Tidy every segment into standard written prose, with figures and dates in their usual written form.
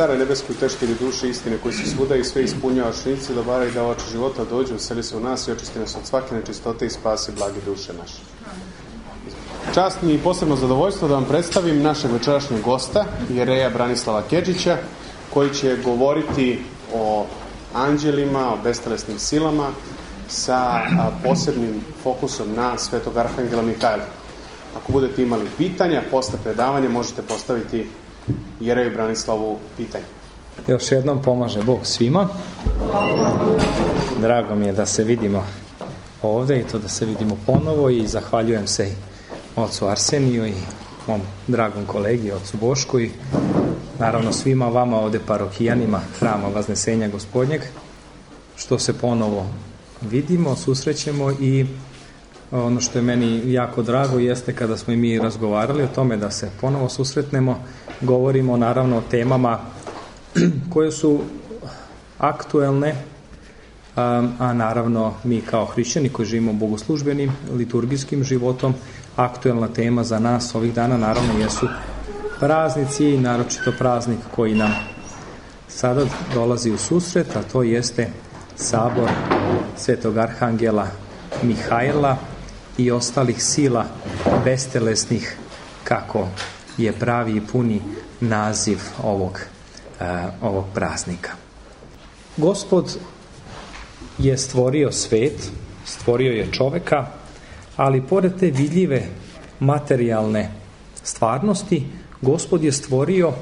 Care nebeski, utešitelji duše istine koji si svuda i sve ispunjavaš, nici dobara i davač života, dođu, useli se u nas i očisti nas od svake nečistote i spasi blage duše naše. Čast mi i posebno zadovoljstvo da vam predstavim našeg večerašnjeg gosta, jereja Branislava Kedžića, koji će govoriti o anđelima, o bestelesnim silama sa posebnim fokusom na svetog arhangela Mihajla. Ako budete imali pitanja posle predavanja, možete postaviti jereju Branislavu pitanje. Još jednom pomaže Bog svima. Drago mi je da se vidimo ovdje i to da se vidimo ponovo i zahvaljujem se i ocu Arseniju i mom dragom kolegi, ocu Bošku i naravno svima vama ovdje parohijanima Hrama Vaznesenja Gospodnjeg, što se ponovo vidimo, susrećemo i ono što je meni jako drago jeste kada smo i mi razgovarali o tome da se ponovo susretnemo, govorimo naravno o temama koje su aktuelne, a naravno mi kao hrišćani koji živimo bogoslužbenim, liturgijskim životom, aktuelna tema za nas ovih dana naravno jesu praznici i naročito praznik koji nam sada dolazi u susret, a to jeste sabor svetog arhangela Mihajla i ostalih sila bestelesnih, kako je pravi i puni naziv ovog praznika. Gospod je stvorio svet, stvorio je čoveka, ali pored te vidljive materijalne stvarnosti, Gospod je stvorio,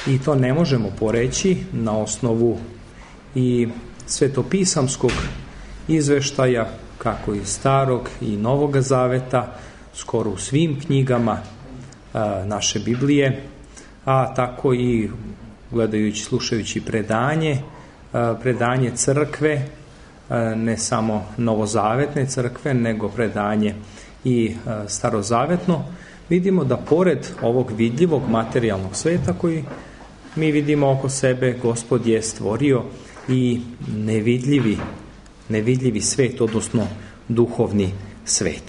i to ne možemo poreći na osnovu i svetopisamskog izveštaja, kako iz Starog i Novoga Zaveta, skoro u svim knjigama naše Biblije, a tako i gledajući, slušajući predanje crkve, ne samo novozavetne crkve, nego predanje i starozavetno, vidimo da pored ovog vidljivog materijalnog sveta koji mi vidimo oko sebe, Gospod je stvorio i nevidljivi svet, odnosno duhovni svet.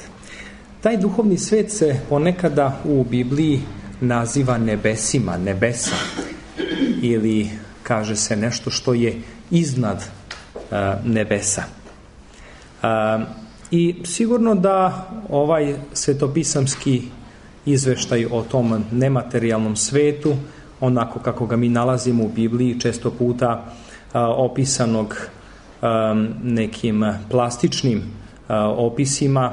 Taj duhovni svet se ponekada u Bibliji naziva nebesima, nebesa, ili kaže se nešto što je iznad nebesa. I sigurno da ovaj svetopisamski izveštaj o tom nematerijalnom svetu, onako kako ga mi nalazimo u Bibliji, često puta opisanog nekim plastičnim opisima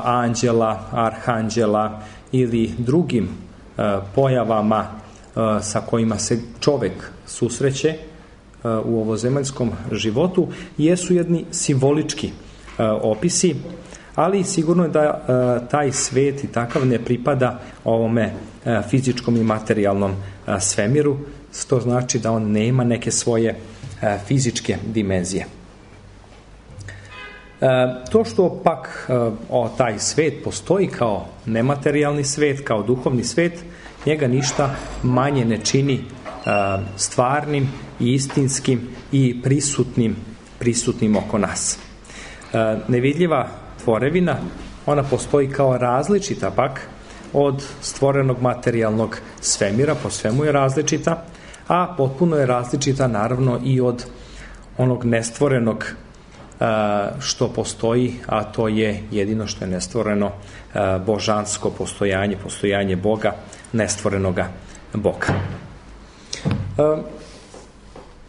anđela, arhanđela ili drugim pojavama sa kojima se čovek susreće u ovozemaljskom životu, jesu jedni simbolički opisi, ali sigurno je da taj svet i takav ne pripada ovome fizičkom i materijalnom svemiru, što znači da on nema neke svoje fizičke dimenzije. To što pak taj svet postoji kao nematerijalni svet, kao duhovni svet, njega ništa manje ne čini stvarnim i istinskim i prisutnim oko nas. Nevidljiva tvorevina, ona postoji kao različita pak od stvorenog materijalnog svemira, po svemu je različita, a potpuno je različita naravno i od onog nestvorenog što postoji, a to je jedino što je nestvoreno, božansko postojanje Boga, nestvorenoga Boga.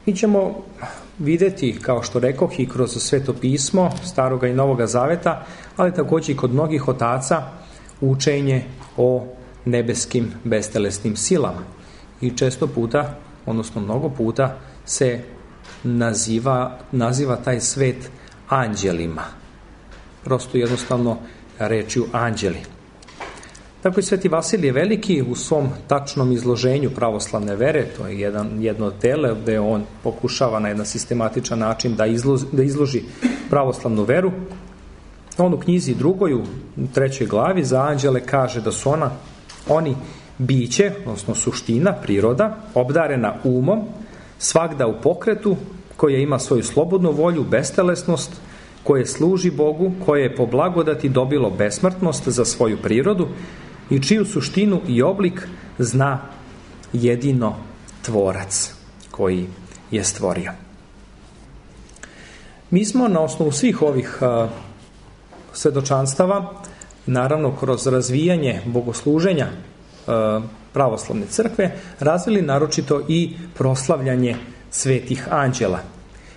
Mi ćemo vidjeti, kao što rekoh, i kroz Sveto pismo Staroga i Novoga Zaveta, ali također i kod mnogih otaca, učenje o nebeskim bestelesnim silama. I često puta, odnosno mnogo puta, se naziva taj svet anđelima. Prosto jednostavno rečju anđeli. Tako i Sveti Vasilije Veliki u svom tačnom izloženju pravoslavne vere, to je jedno od tela gde on pokušava na jedan sistematičan način da izloži pravoslavnu veru. On u knjizi 2. u 3. glavi za anđele kaže da su oni biće, odnosno suština, priroda, obdarena umom, svagda u pokretu, koja ima svoju slobodnu volju, bestelesnost, koje služi Bogu, koje je po blagodati dobilo besmrtnost za svoju prirodu i čiju suštinu i oblik zna jedino tvorac koji je stvorio. Mi smo na osnovu svih ovih svedočanstava, naravno kroz razvijanje bogosluženja pravoslavne crkve, razvili naročito i proslavljanje svetih anđela.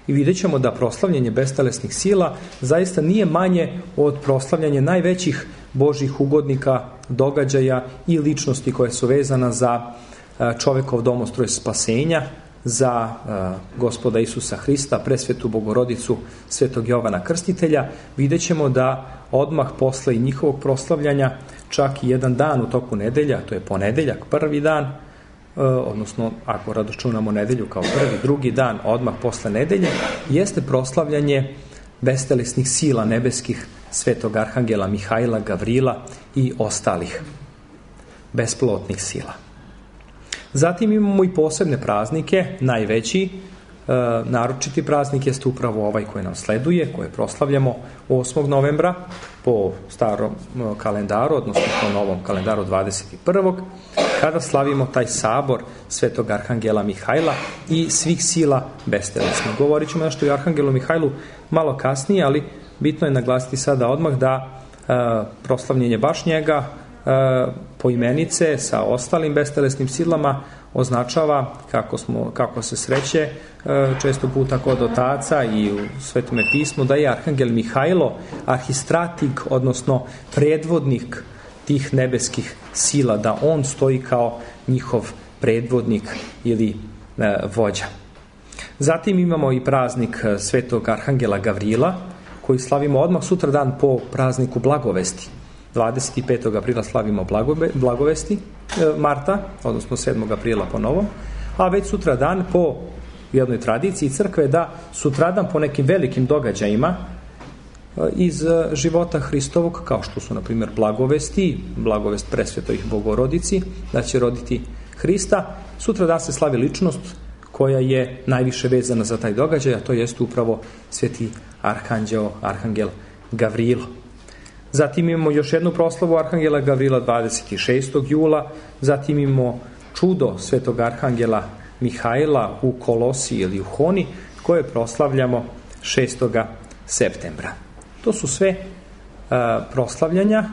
I vidjet ćemo da proslavljanje bestelesnih sila zaista nije manje od proslavljanja najvećih Božjih ugodnika, događaja i ličnosti koje su vezana za čovekov domostroj spasenja, za Gospoda Isusa Hrista, presvetu Bogorodicu, svetog Jovana Krstitelja. Vidjet ćemo da odmah posle i njihovog proslavljanja, čak i jedan dan u toku nedelja, to je ponedeljak, prvi dan, odnosno ako računamo nedelju kao prvi, drugi dan odmah posle nedelje, jeste proslavljanje bestelesnih sila nebeskih, svetog arhangela Mihajla, Gavrila i ostalih besplotnih sila. Zatim imamo i posebne praznike, najveći, naročiti praznik jeste upravo ovaj koji nam sleduje, koje proslavljamo 8. novembra po starom kalendaru, odnosno po novom kalendaru 21. kada slavimo taj sabor svetog arhangela Mihajla i svih sila bestelesnih. Govorit ćemo nešto i o arhangelu Mihajlu malo kasnije, ali bitno je naglasiti sada odmah da proslavljenje baš njega poimenice sa ostalim bestelesnim silama označava, kako se sreće često puta kod otaca i u Svetome pismu, da je arhangel Mihajlo arhistratig, odnosno predvodnik tih nebeskih sila, da on stoji kao njihov predvodnik ili vođa. Zatim imamo i praznik svetog arhangela Gavrila, koji slavimo odmah sutra dan po prazniku Blagovesti. 25. aprila slavimo Blagovesti marta, odnosno 7. aprila po novom, a već sutra dan po jednoj tradiciji crkve da sutradan po nekim velikim događajima iz života Hristovog, kao što su na primjer Blagovesti, Blagovest presvetoj Bogorodici, da će roditi Hrista, sutradan se slavi ličnost koja je najviše vezana za taj događaj, a to jest upravo sveti arhangel Gavrilo. Zatim imamo još jednu proslavu arhangela Gavrila 26. jula, zatim imamo čudo svetog arhangela Mihajla u Kolosi ili u Honi, koje proslavljamo 6. septembra. To su sve proslavljanja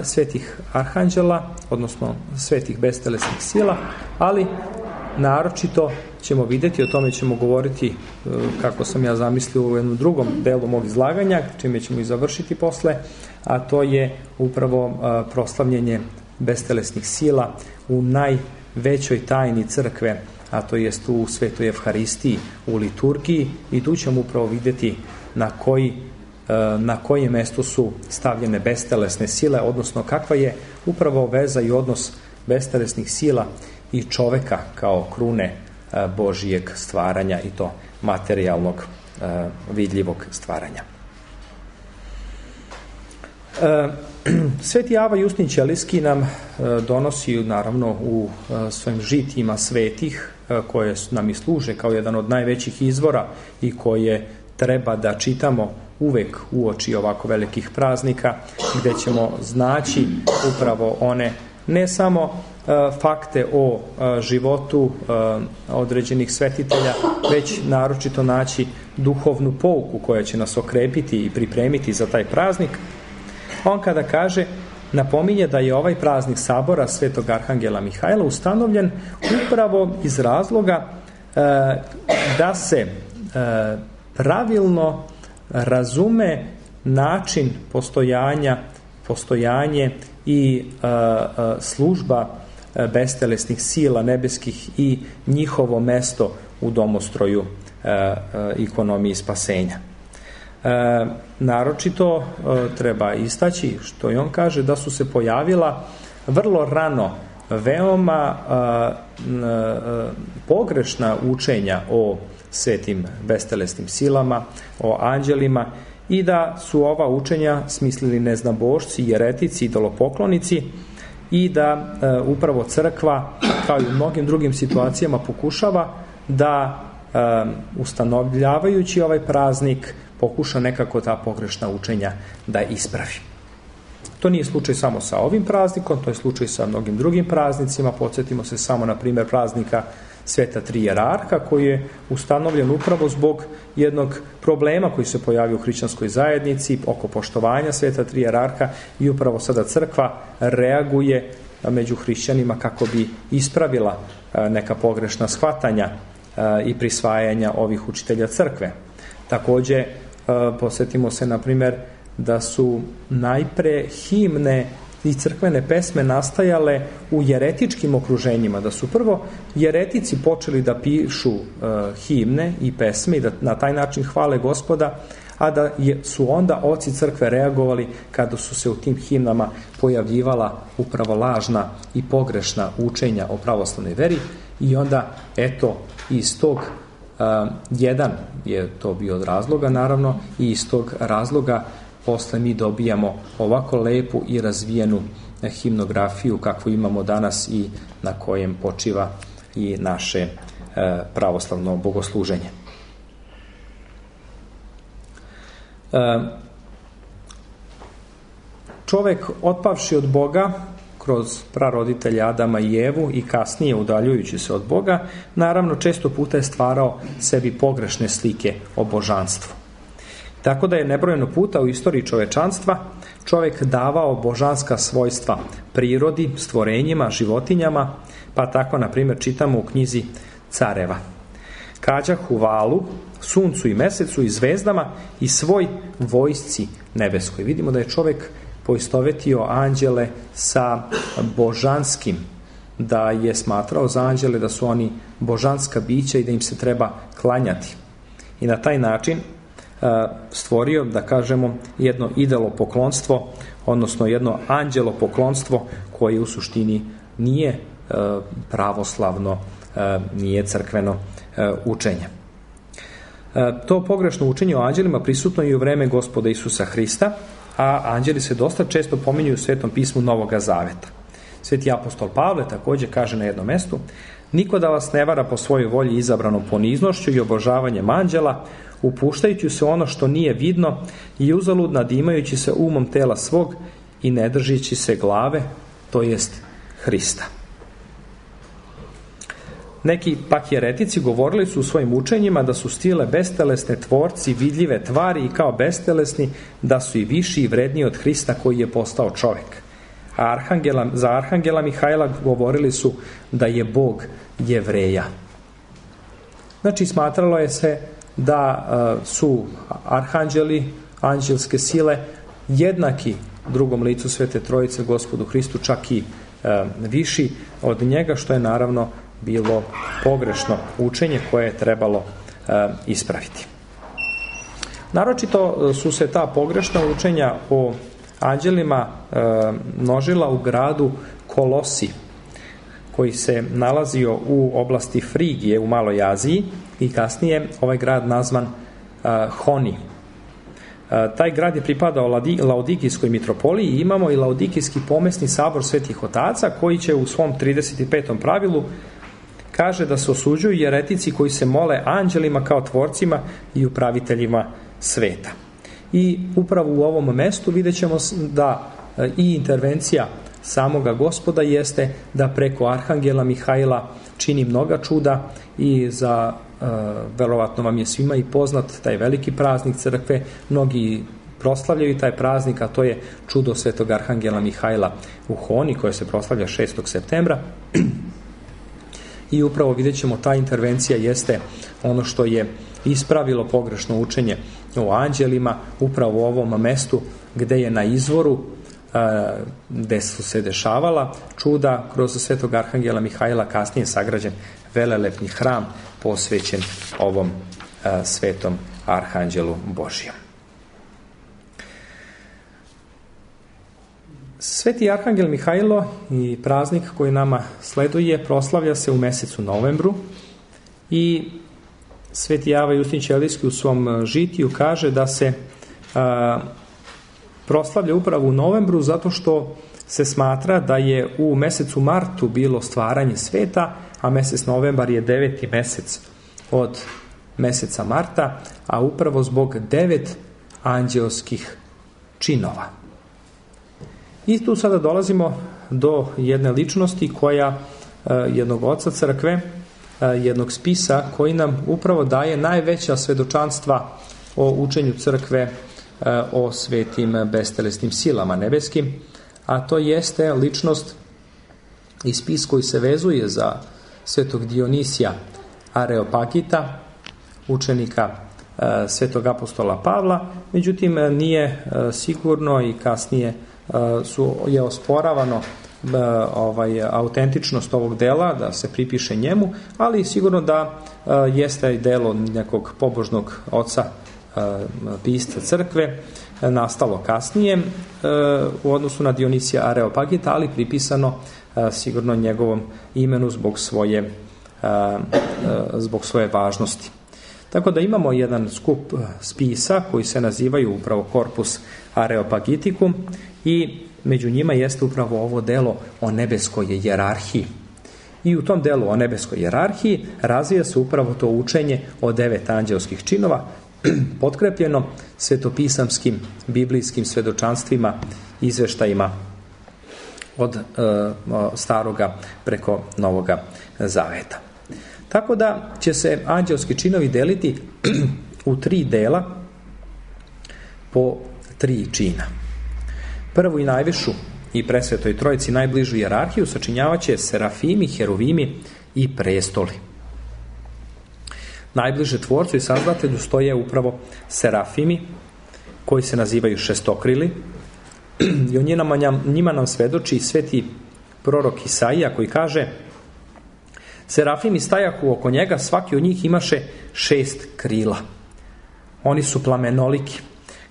svetih arhanđela, odnosno svetih bestelesnih sila, ali naročito ćemo vidjeti, o tome ćemo govoriti kako sam ja zamislio u jednom drugom delu mog izlaganja, čime ćemo i završiti posle, a to je upravo proslavljenje bestelesnih sila u najvećoj tajni crkve, a to jest u Svetoj Evharistiji, u liturgiji, i tu ćemo upravo vidjeti na koje mjesto su stavljene bestelesne sile, odnosno kakva je upravo veza i odnos bestelesnih sila i čoveka kao krune Božijeg stvaranja, i to materijalnog, vidljivog stvaranja. Sveti Ava Justin Ćelijski nam donosi naravno u svojim žitijima svetih, koje nam i služe kao jedan od najvećih izvora i koje treba da čitamo uvek uoči ovako velikih praznika, gdje ćemo znaći upravo one ne samo fakte o životu određenih svetitelja, već naročito naći duhovnu pouku koja će nas okrepiti i pripremiti za taj praznik. On kada kaže, napominje da je ovaj praznik sabora svetog arhangela Mihajla ustanovljen upravo iz razloga da se pravilno razume način postojanje i služba bestelesnih sila nebeskih i njihovo mesto u domostroju ikonomiji spasenja. Naročito treba istaći, što i on kaže, da su se pojavila vrlo rano veoma pogrešna učenja o svetim bestelesnim silama, o anđelima, i da su ova učenja smislili neznabošci, jeretici, idolopoklonici, i da upravo crkva, kao i u mnogim drugim situacijama, pokušava da ustanovljavajući ovaj praznik pokuša nekako ta pogrešna učenja da ispravi. To nije slučaj samo sa ovim praznikom, to je slučaj sa mnogim drugim praznicima. Podsjetimo se samo, na primjer, praznika Sveta Tri Jerarha, koji je ustanovljen upravo zbog jednog problema koji se pojavio u hrišćanskoj zajednici oko poštovanja Sveta Tri Jerarha, i upravo sada crkva reaguje među hrišćanima kako bi ispravila neka pogrešna shvatanja i prisvajanja ovih učitelja crkve. Također, posjetimo se, na primjer, da su najpre himne i crkvene pesme nastajale u jeretičkim okruženjima, da su prvo jeretici počeli da pišu himne i pesme i da na taj način hvale Gospoda, a da su onda oci crkve reagovali kada su se u tim himnama pojavljivala upravo lažna i pogrešna učenja o pravoslavnoj veri, i onda eto iz tog jedan je to bio od razloga, naravno, i iz tog razloga posle mi dobijamo ovako lepu i razvijenu himnografiju kakvu imamo danas i na kojem počiva i naše pravoslavno bogosluženje. Čovek, otpavši od Boga kroz praroditelja Adama i Evu i kasnije udaljujući se od Boga, naravno često puta je stvarao sebi pogrešne slike o božanstvu. Tako da je nebrojeno puta u istoriji čovečanstva čovjek davao božanska svojstva prirodi, stvorenjima, životinjama, pa tako, na primjer, čitamo u knjizi Careva: kađahu valu, suncu i mesecu i zvezdama i svoj vojsci nebeskoj. Vidimo da je čovjek poistovetio anđele sa božanskim, da je smatrao za anđele da su oni božanska bića i da im se treba klanjati. I na taj način stvorio, da kažemo, jedno idolopoklonstvo, odnosno jedno anđelopoklonstvo koje u suštini nije pravoslavno, nije crkveno učenje. To pogrešno učenje o anđelima prisutno i u vreme Gospoda Isusa Hrista, a anđeli se dosta često pominju u Svetom pismu Novoga Zaveta. Sveti apostol Pavle također kaže na jednom mestu: niko da vas ne vara po svojoj volji izabranom poniznošću i obožavanjem anđela, upuštajući se ono što nije vidno i uzalud nadimajući se umom tela svog i ne držići se glave, to jest Hrista. Neki pak jeretici govorili su u svojim učenjima da su stile bestelesne tvorci, vidljive tvari, i kao bestelesni da su i viši i vredniji od Hrista koji je postao čovjek. A za arhangela Mihajla govorili su da je Bog Jevreja. Znači, smatralo je se da su arhanđeli, anđelske sile, jednaki drugom licu Svete Trojice, Gospodu Hristu, čak i viši od njega, što je naravno bilo pogrešno učenje koje je trebalo ispraviti. Naročito su se ta pogrešna učenja o anđelima množila u gradu Kolosi, koji se nalazio u oblasti Frigije u Maloj Aziji, i kasnije ovaj grad nazvan Honi. Taj grad je pripadao Laodikijskoj mitropoliji i imamo i Laodikijski pomesni sabor svetih otaca, koji će u svom 35. pravilu kaže da se osuđuju jeretici koji se mole anđelima kao tvorcima i upraviteljima sveta. I upravo u ovom mestu vidjet ćemo da i intervencija samoga Gospoda jeste da preko arhangela Mihajla čini mnoga čuda, i za verovatno vam je svima i poznat taj veliki praznik crkve, mnogi proslavljaju taj praznik, a to je čudo svetog arhangela Mihajla u Honi, koje se proslavlja 6. septembra. I upravo vidjet ćemo, ta intervencija jeste ono što je ispravilo pogrešno učenje o anđelima upravo u ovom mestu gdje je na izvoru, gdje su se dešavala čuda kroz svetog arhangela Mihajla, kasnije sagrađen velelepni hram posvećen ovom svetom arhanđelu Božijem. Sveti arhangel Mihajlo i praznik koji nama sleduje proslavlja se u mesecu novembru, i sveti Java Justin Ćelijski u svom žitiju kaže da se proslavlja upravo u novembru zato što se smatra da je u mesecu martu bilo stvaranje sveta, a mesec novembar je 9. mesec od meseca marta, a upravo zbog 9 anđelskih činova. I tu sada dolazimo do jedne ličnosti koja, jednog oca crkve, jednog spisa koji nam upravo daje najveća svedočanstva o učenju crkve, o svetim bestelesnim silama nebeskim, a to jeste ličnost i spis koji se vezuje za svetog Dionisija Areopagita, učenika svetog apostola Pavla, međutim nije sigurno i kasnije je osporavano autentičnost ovog dela, da se pripiše njemu, ali sigurno da jeste delo nekog pobožnog oca pisca crkve, nastalo kasnije u odnosu na Dionisija Areopagita, ali pripisano sigurno njegovom imenu zbog svoje važnosti. Tako da imamo jedan skup spisa koji se nazivaju upravo Corpus Areopagiticum i među njima jeste upravo ovo delo o nebeskoj hijerarhiji. I u tom delu o nebeskoj hijerarhiji razvija se upravo to učenje o 9 anđelskih činova, potkrepljeno svetopisamskim, biblijskim svedočanstvima, izveštajima od staroga preko novoga zaveta. Tako da će se anđelski činovi deliti u 3 dela po 3 čina. Prvu i najvišu i presvetoj trojici najbližu hijerarhiju sačinjavaće serafimi, heruvimi i prestoli. Najbliže tvorcu i sazdatelju stoje upravo serafimi, koji se nazivaju šestokrili, i o njima nam svedoči sveti prorok Isaija koji kaže: serafimi stajahu oko njega, svaki od njih imaše 6 krila. Oni su plamenoliki,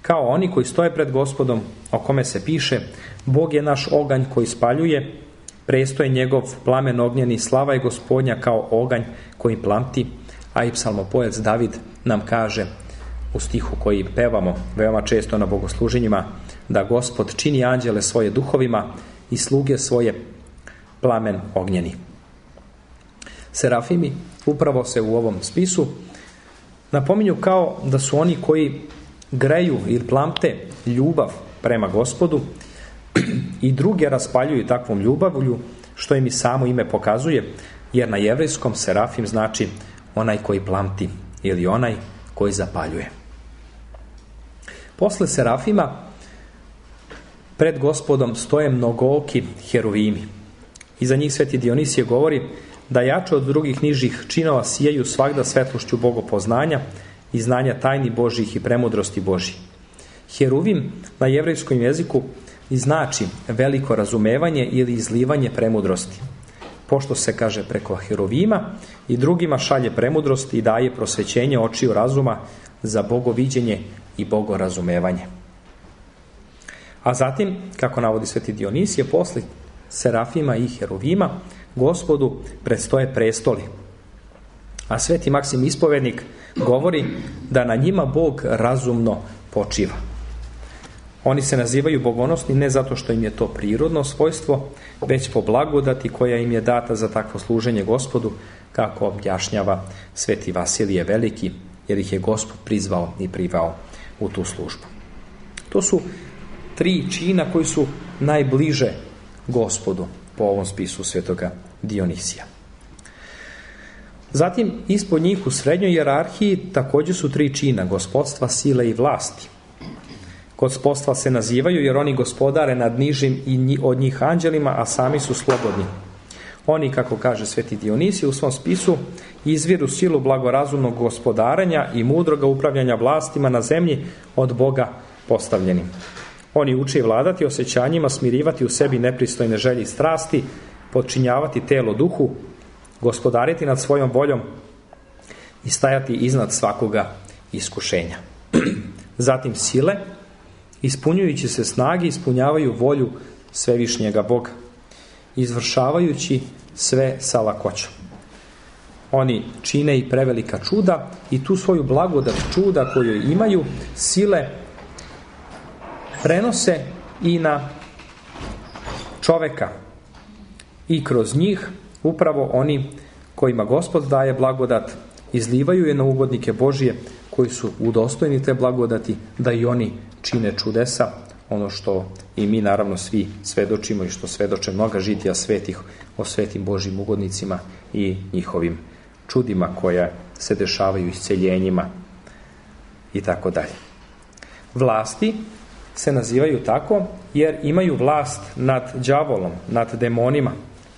kao oni koji stoje pred Gospodom, o kome se piše: Bog je naš oganj koji spaljuje, prestoj njegov plamen ognjeni, slava je Gospodnja kao oganj koji plamti. A i psalmopojac David nam kaže u stihu koji pevamo veoma često na bogosluženjima, da Gospod čini anđele svoje duhovima i sluge svoje plamen ognjeni. Serafimi upravo se u ovom spisu napominju kao da su oni koji greju ili plamte ljubav prema Gospodu i druge raspaljuju takvom ljubavlju, što im i samo ime pokazuje, jer na jevrejskom serafim znači onaj koji plamti ili onaj koji zapaljuje. Posle serafima pred Gospodom stoje mnogooki heruvimi. Iza njih sveti Dionisije govori da jače od drugih nižih činova sijaju svagda svetlošću bogopoznanja i znanja tajni Božjih i premudrosti Božjih. Heruvim na jevrejskom jeziku i znači veliko razumevanje ili izlivanje premudrosti, pošto se kaže preko heruvima i drugima šalje premudrost i daje prosvećenje očiju razuma za bogoviđenje i bogorazumevanje. A zatim, kako navodi sveti Dionisije, posle serafima i heruvima Gospodu predstoje prestoli. A sveti Maksim Ispovednik govori da na njima Bog razumno počiva. Oni se nazivaju bogonosni ne zato što im je to prirodno svojstvo, već po blagodati koja im je data za takvo služenje Gospodu, kako objašnjava sveti Vasilije Veliki, jer ih je Gospod prizvao i privao u tu službu. To su 3 čina koji su najbliže Gospodu po ovom spisu svetoga Dionisija. Zatim, ispod njih u srednjoj hijerarhiji također su 3 čina: gospodstva, sile i vlasti. Gospodstva se nazivaju jer oni gospodare nad nižim i od njih anđelima, a sami su slobodni. Oni, kako kaže sveti Dionisije u svom spisu, izviru silu blagorazumnog gospodarenja i mudroga upravljanja vlastima na zemlji od Boga postavljenim. Oni uče vladati osjećanjima, smirivati u sebi nepristojne želje i strasti, podčinjavati telo duhu, gospodariti nad svojom voljom i stajati iznad svakoga iskušenja. Zatim sile, ispunjujući se snage, ispunjavaju volju svevišnjega Boga, izvršavajući sve sa lakoćom. Oni čine i prevelika čuda i tu svoju blagodat čuda koju imaju, sile, prenose i na čoveka. I kroz njih upravo oni kojima Gospod daje blagodat izlivaju je na ugodnike Božije koji su udostojni te blagodati da i oni čine čudesa, ono što i mi naravno svi svedočimo i što svedoče mnoga žitija svetih o svetim Božjim ugodnicima i njihovim čudima koja se dešavaju, isceljenjima i tako dalje. Vlasti se nazivaju tako jer imaju vlast nad đavolom, nad demonima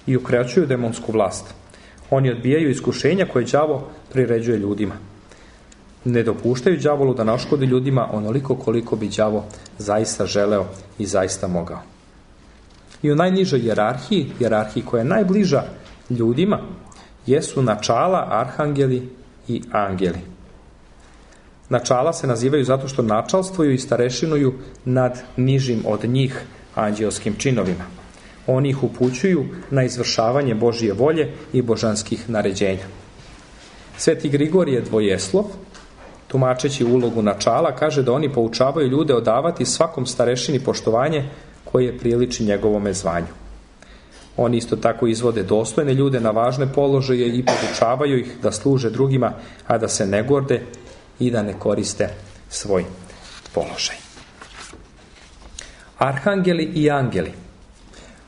i ukraćuju demonsku vlast. Oni odbijaju iskušenja koje đavo priređuje ljudima. Ne dopuštaju đavolu da naškodi ljudima onoliko koliko bi đavo zaista želeo i zaista mogao. I u najnižoj hijerarhiji koja je najbliža ljudima, jesu načala, arhangeli i angeli. Načala se nazivaju zato što načalstvuju i starešinuju nad nižim od njih anđelskim činovima. Oni ih upućuju na izvršavanje Božje volje i božanskih naređenja. Sveti Grigorije Dvojeslov, tumačeći ulogu načala, kaže da oni poučavaju ljude odavati svakom starešini poštovanje koje priliči njegovome zvanju. Oni isto tako izvode dostojne ljude na važne položaje i podučavaju ih da služe drugima, a da se ne gorde i da ne koriste svoj položaj. Arhangeli i angeli.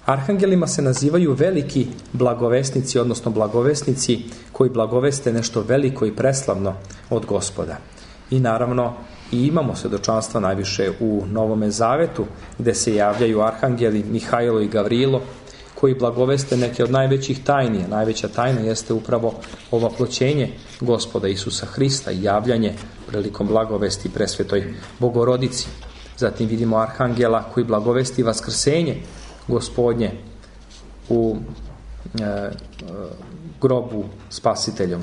Arhangelima se nazivaju veliki blagovesnici, odnosno blagovesnici koji blagoveste nešto veliko i preslavno od Gospoda. I naravno i imamo svedočanstva najviše u Novome Zavetu, gde se javljaju arhangeli Mihajlo i Gavrilo, koji blagoveste neke od najvećih tajni. Najveća tajna jeste upravo ovaploćenje Gospoda Isusa Hrista i javljanje prilikom blagovesti presvetoj Bogorodici. Zatim vidimo arhangela koji blagovesti vaskrsenje Gospodnje u grobu spasiteljom.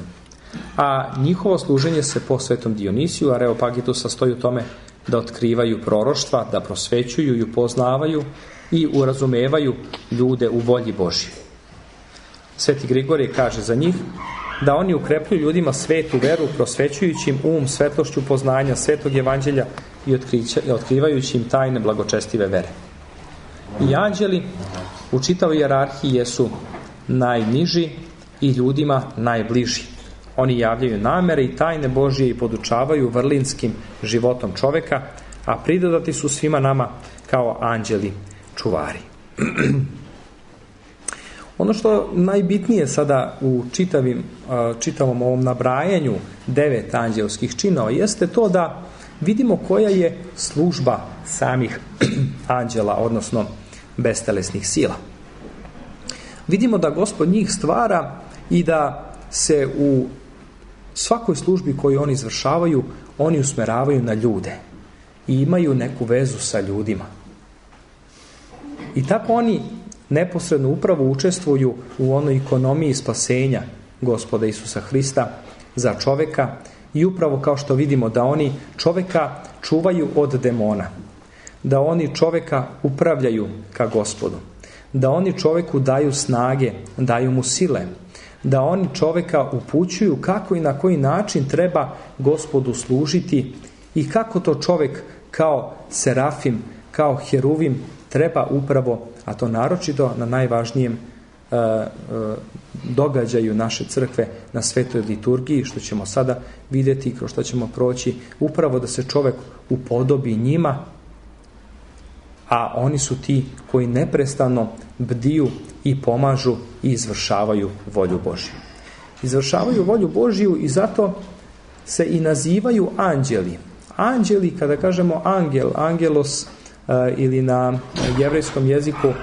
A njihovo služenje se po svetom Dionisiju Areopagitu sastoji u tome da otkrivaju proroštva, da prosvećuju i upoznavaju i urazumevaju ljude u volji Božji. Sveti Grigorije kaže za njih da oni ukrepljuju ljudima svetu veru, prosvećujući im svetlošću poznanja svetog evanđelja i otkrivajući im tajne blagočestive vere. I anđeli u čitavoj hijerarhiji jesu najniži i ljudima najbliži. Oni javljaju namere i tajne Božje i podučavaju vrlinskim životom čoveka, a pridodati su svima nama kao anđeli čuvari. Ono što najbitnije sada u čitavom ovom nabrajanju 9 anđelskih činova jeste to da vidimo koja je služba samih anđela, odnosno bestelesnih sila. Vidimo da Gospod njih stvara i da se u svakoj službi koju oni izvršavaju, oni usmeravaju na ljude i imaju neku vezu sa ljudima. I tako oni neposredno upravo učestvuju u onoj ekonomiji spasenja Gospoda Isusa Hrista za čoveka i upravo kao što vidimo da oni čoveka čuvaju od demona, da oni čoveka upravljaju ka Gospodu, da oni čoveku daju snage, daju mu sile, da oni čoveka upućuju kako i na koji način treba Gospodu služiti i kako to čovek kao serafim, kao heruvim treba upravo, a to naročito na najvažnijem događaju naše crkve, na svetoj liturgiji, što ćemo sada vidjeti i kroz što ćemo proći, upravo da se čovek upodobi njima, a oni su ti koji neprestano bdiju i pomažu i izvršavaju volju Božju. Izvršavaju volju Božju i zato se i nazivaju anđeli. Anđeli, kada kažemo angel, angelos ili na jevrejskom jeziku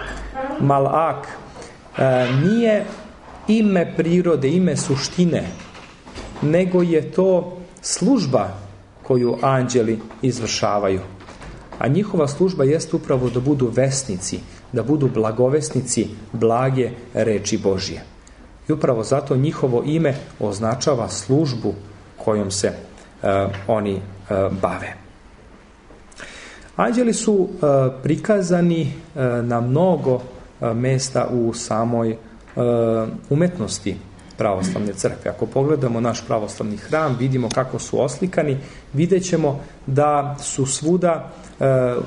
malak, nije ime prirode, ime suštine, nego je to služba koju anđeli izvršavaju. A njihova služba jest upravo da budu vesnici, da budu blagovesnici blage reči Božje. I upravo zato njihovo ime označava službu kojom se oni bave. Anđeli su prikazani na mnogo mesta u samoj umetnosti pravoslavne crkve. Ako pogledamo naš pravoslavni hram, vidimo kako su oslikani, vidjet ćemo da su svuda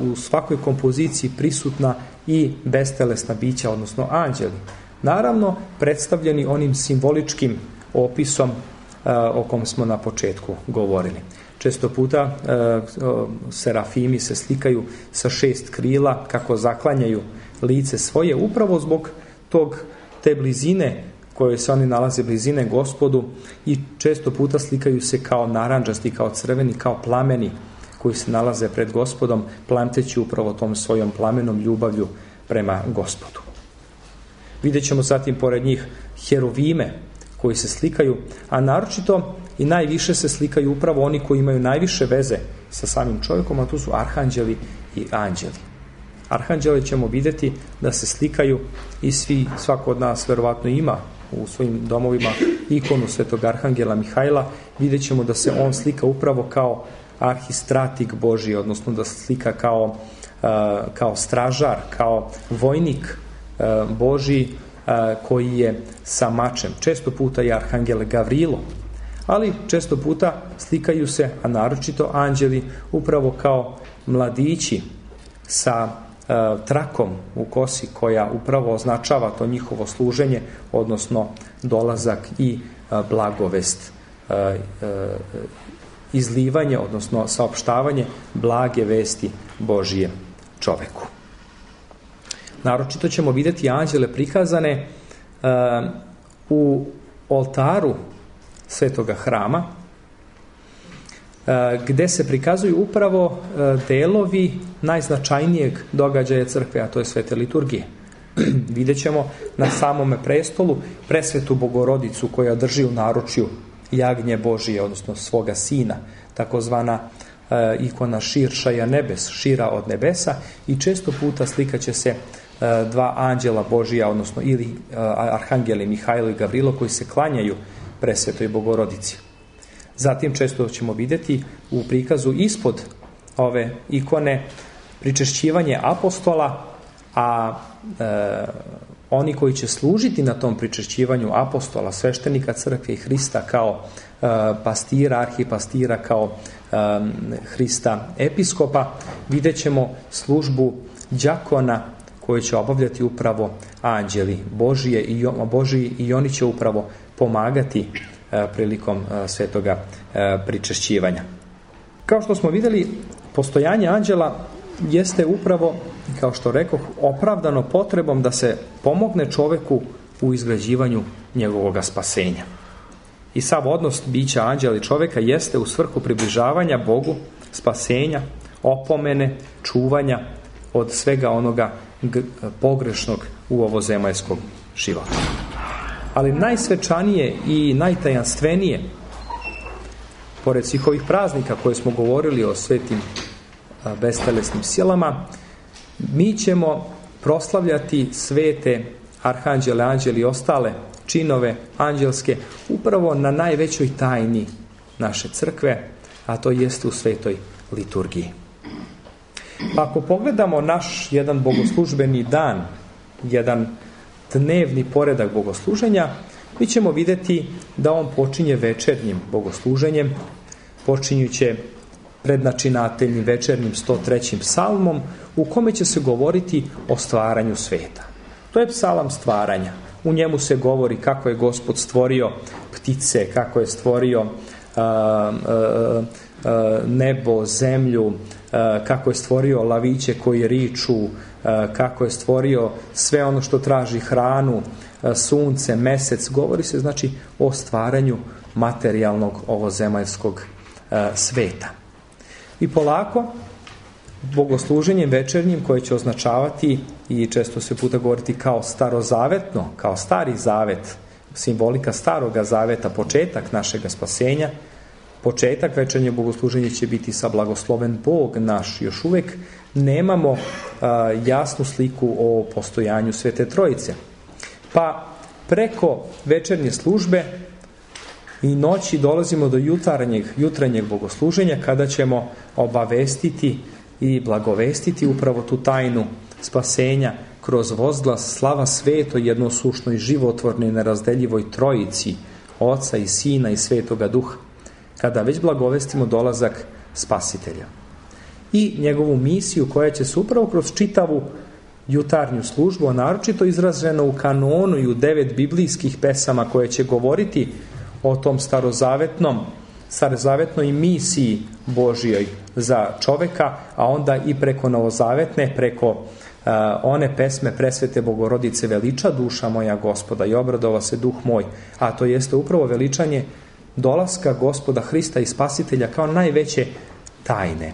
u svakoj kompoziciji prisutna i bestelesna bića, odnosno anđeli. Naravno, predstavljeni onim simboličkim opisom o kom smo na početku govorili. često puta serafimi se slikaju sa 6 krila kako zaklanjaju lice svoje, upravo zbog te blizine koje se oni nalaze, blizine Gospodu, i često puta slikaju se kao narandžasti, kao crveni, kao plameni koji se nalaze pred Gospodom, plamteći upravo tom svojom plamenom ljubavlju prema Gospodu. Vidjet ćemo zatim pored njih heruvime koji se slikaju, a naročito i najviše se slikaju upravo oni koji imaju najviše veze sa samim čovjekom, a tu su arhanđeli i anđeli. Arhanđele ćemo vidjeti da se slikaju i svako od nas verovatno ima u svojim domovima ikonu svetog arhangela Mihajla. Vidjet ćemo da se on slika upravo kao arhistratik Božji, odnosno da se slika kao stražar, kao vojnik Božji koji je sa mačem. Često puta je arhangel Gavrilo, ali često puta slikaju se, a naročito anđeli, upravo kao mladići sa trakom u kosi koja upravo označava to njihovo služenje, odnosno dolazak i blagovest, izlivanje, odnosno saopštavanje blage vesti Božije čoveku. Naročito ćemo vidjeti anđele prikazane u oltaru svetoga hrama, gde se prikazuju upravo delovi najznačajnijeg događaja crkve, a to je svete liturgije. Vidjet ćemo na samome prestolu presvetu Bogorodicu koja drži u naručju jagnje Božije, odnosno svoga sina, takozvana ikona širšaja nebes, šira od nebesa, i često puta slikaće se dva anđela Božija, odnosno ili arhangeli Mihajlo i Gavrilo koji se klanjaju presvetoj Bogorodici. Zatim često ćemo vidjeti u prikazu ispod ove ikone pričešćivanje apostola, a oni koji će služiti na tom pričešćivanju apostola, sveštenika crkve i Hrista kao pastira, arhipastira, kao Hrista episkopa, vidjet ćemo službu đakona koju će obavljati upravo anđeli Božiji i oni će upravo pomagati prilikom svetoga pričešćivanja. Kao što smo vidjeli, postojanje anđela jeste upravo, kao što rekoh, opravdano potrebom da se pomogne čoveku u izgrađivanju njegovog spasenja. I sav odnos bića anđela i čoveka jeste u svrhu približavanja Bogu, spasenja, opomene, čuvanja od svega onoga pogrešnog u ovozemaljskom životu. Ali najsvečanije i najtajanstvenije, pored svih ovih praznika koje smo govorili o svetim bestelesnim silama, mi ćemo proslavljati svete arhanđele, anđeli i ostale činove anđelske upravo na najvećoj tajni naše crkve, a to jeste u svetoj liturgiji. Pa ako pogledamo naš jedan bogoslužbeni dan, jedan dnevni poredak bogosluženja, mi ćemo vidjeti da on počinje večernjim bogosluženjem, počinjuće prednačinateljnim večernjim 103. psalmom, u kome će se govoriti o stvaranju sveta. To je psalam stvaranja. U njemu se govori kako je Gospod stvorio ptice, kako je stvorio nebo, zemlju, kako je stvorio laviće koji riču, kako je stvorio sve ono što traži hranu, sunce, mesec. Govori se znači o stvaranju materijalnog ovozemaljskog sveta. I polako bogosluženjem večernjim, koje će označavati i često se puta govoriti kao starozavetno, kao stari zavet, simbolika staroga zaveta, početak našega spasenja, početak večernje bogosluženja će biti sa blagosloven Bog naš. Još uvijek nemamo jasnu sliku o postojanju Svete Trojice. Pa preko večernje službe i noći dolazimo do jutranjeg bogosluženja, kada ćemo obavestiti i blagovestiti upravo tu tajnu spasenja kroz vozglas slava sveto jednosušnoj životvornoj nerazdeljivoj Trojici, Oca i Sina i Svetoga Duha, kada već blagovestimo dolazak Spasitelja. I njegovu misiju koja će se upravo kroz čitavu jutarnju službu, a naročito izraženo u kanonu i u 9 biblijskih pesama koje će govoriti o tom starozavetnom starozavetnoj misiji Božjoj za čoveka, a onda i preko novozavetne, preko one pesme Presvete Bogorodice: veliča duša moja Gospoda i obradova se duh moj, a to jeste upravo veličanje dolaska Gospoda Hrista i Spasitelja kao najveće tajne.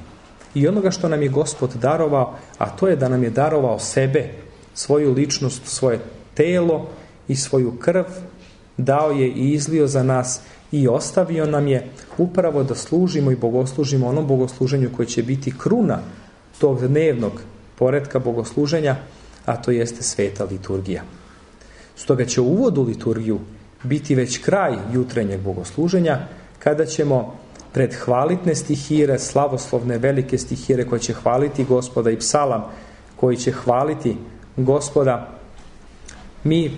I onoga što nam je Gospod darovao, a to je da nam je darovao sebe, svoju ličnost, svoje telo i svoju krv, dao je i izlio za nas i ostavio nam je upravo da služimo i bogoslužimo onom bogosluženju koje će biti kruna tog dnevnog poretka bogosluženja, a to jeste sveta liturgija. Stoga će uvod u liturgiju biti već kraj jutrenjeg bogosluženja, kada ćemo pred hvalitne stihire, slavoslovne velike stihire koje će hvaliti Gospoda i psalam koji će hvaliti Gospoda, mi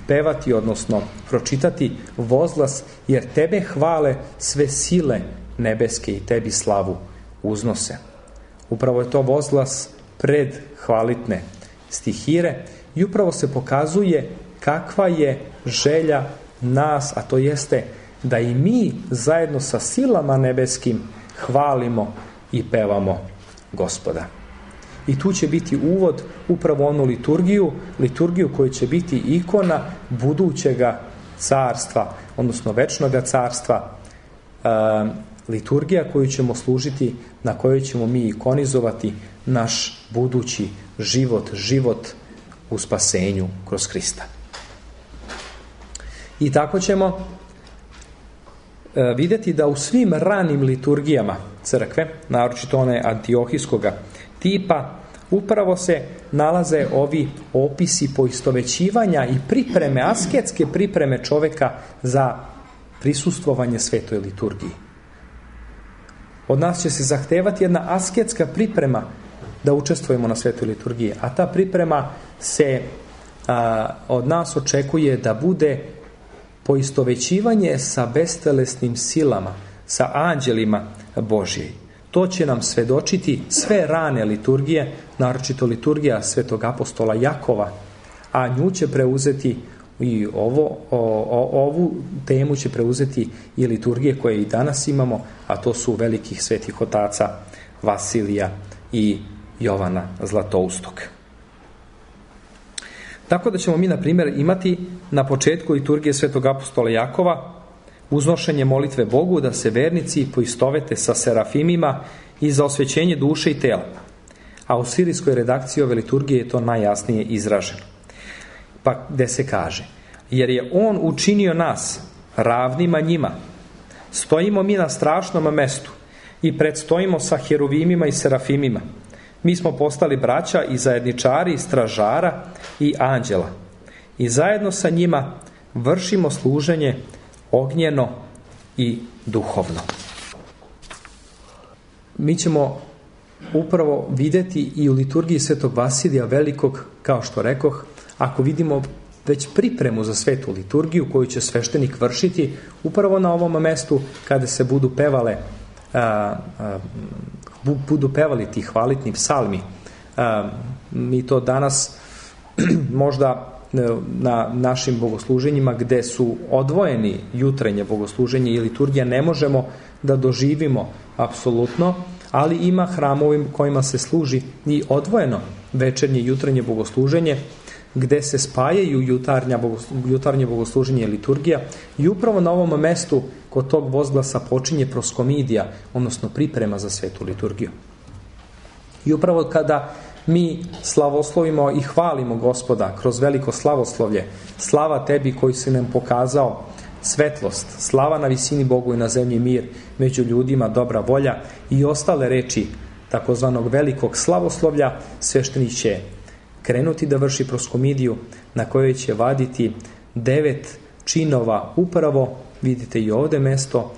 pevati, odnosno pročitati vozglas: jer tebe hvale sve sile nebeske i tebi slavu uznose. Upravo je to vozglas pred hvalitne stihire i upravo se pokazuje kakva je želja nas, a to jeste da i mi zajedno sa silama nebeskim hvalimo i pevamo Gospoda. I tu će biti uvod upravo onu liturgiju koja će biti ikona budućega carstva, odnosno večnoga carstva, liturgija koju ćemo služiti, na kojoj ćemo mi ikonizovati naš budući život u spasenju kroz Hrista. I tako ćemo vidjeti da u svim ranim liturgijama crkve, naročito one antiohijskoga tipa, upravo se nalaze ovi opisi poistovećivanja i pripreme, asketske pripreme čoveka za prisustvovanje svetoj liturgiji. Od nas će se zahtevati jedna asketska priprema da učestvujemo na svetoj liturgiji, a ta priprema se od nas očekuje da bude poistovećivanje sa bestelesnim silama, sa anđelima Božji. To će nam svedočiti sve rane liturgije, naročito liturgija svetog apostola Jakova, a nju će preuzeti i ovu temu će preuzeti i liturgije koje i danas imamo, a to su velikih svetih otaca Vasilija i Jovana Zlatoustog. Tako da ćemo mi, na primjer, imati na početku liturgije svetog apostola Jakova uznošenje molitve Bogu da se vernici poistovete sa serafimima i za osvećenje duše i tela. A u sirijskoj redakciji ove liturgije je to najjasnije izraženo. Pa gde se kaže: jer je on učinio nas ravnima njima, stojimo mi na strašnom mestu i predstojimo sa heruvimima i serafimima. Mi smo postali braća i zajedničari stražara i anđela i zajedno sa njima vršimo služenje ognjeno i duhovno. Mi ćemo upravo vidjeti i u liturgiji svetog Vasilija Velikog, kao što rekoh, ako vidimo već pripremu za svetu liturgiju koju će sveštenik vršiti upravo na ovom mestu kada se budu pevali ti hvalitni psalmi. Mi to danas možda na našim bogosluženjima gde su odvojeni jutrenje bogosluženje i liturgija ne možemo da doživimo apsolutno, ali ima hramovi kojima se služi i odvojeno večernje i jutrenje bogosluženje gde se spajaju jutarnje bogosluženje i liturgija i upravo na ovom mestu kod tog vozglasa počinje proskomidija, odnosno priprema za svetu liturgiju. I upravo kada mi slavoslovimo i hvalimo Gospoda kroz veliko slavoslovlje, slava tebi koji si nam pokazao svetlost, slava na visini Bogu i na zemlji mir, među ljudima dobra volja i ostale reči takozvanog velikog slavoslovlja, sveštenik će krenuti da vrši proskomidiju na kojoj će vaditi 9 činova, upravo vidite i ovdje mesto